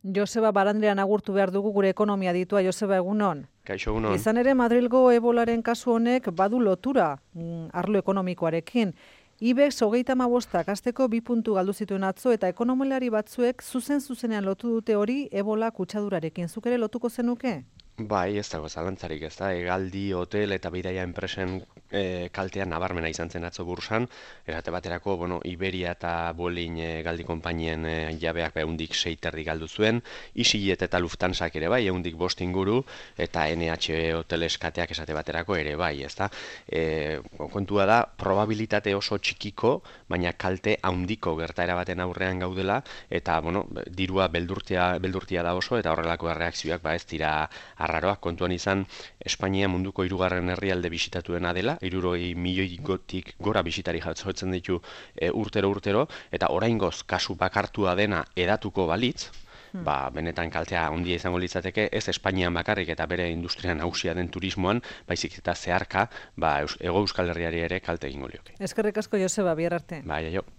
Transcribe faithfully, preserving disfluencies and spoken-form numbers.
Joseba Barandrean agurtu behar dugu gure ekonomia ditua. Joseba, egunon. Kaixo, egunon. Izan ere, Madrilgo ebolaren kasu honek badu lotura mm, arlo ekonomikoarekin. IBEX hogeita hamabostak asteko bi puntu galdu zituen atzo eta ekonomilari batzuek zuzen-zuzenean lotu dute hori ebola kutsadurarekin. Zuk ere lotuko zenuke? Bai, ez dago zalantzarik, ez da, hegaldi, hotel eta bidaia enpresen e, kaltean nabarmena izan zen atzo bursan, erate baterako, bueno, Iberia eta Bolin e, galdi konpainien e, jabeak ehundik sei terdi galdu zuen, EasyJet eta Lufthansak ere bai, ehundik bost inguru, eta N H hotel eskateak esate baterako ere bai, ez da. E, kontua da, probabilitate oso txikiko, baina kalte handiko gertaera baten aurrean gaudela, eta, bueno, dirua beldurtia, beldurtia da oso, eta horrelako erreakzioak ba ez dira arraroak. Kontuan izan, Espainia munduko hirugarren herrialde bisitatuena dela, hirurogei milioi gotik gora bisitari jotzen ditu e, urtero urtero, eta oraingoz kasu bakartua dena edatuko balitz, hmm. ba, benetan kaltea handia izango litzateke, ez Espainian bakarrik eta bere industria nagusia den turismoan, baizik eta zeharka, ba, Hego Euskal Herriari ere kalte egingo lioke. Eskerrik asko, Joseba, bihar arte. Bai, aio.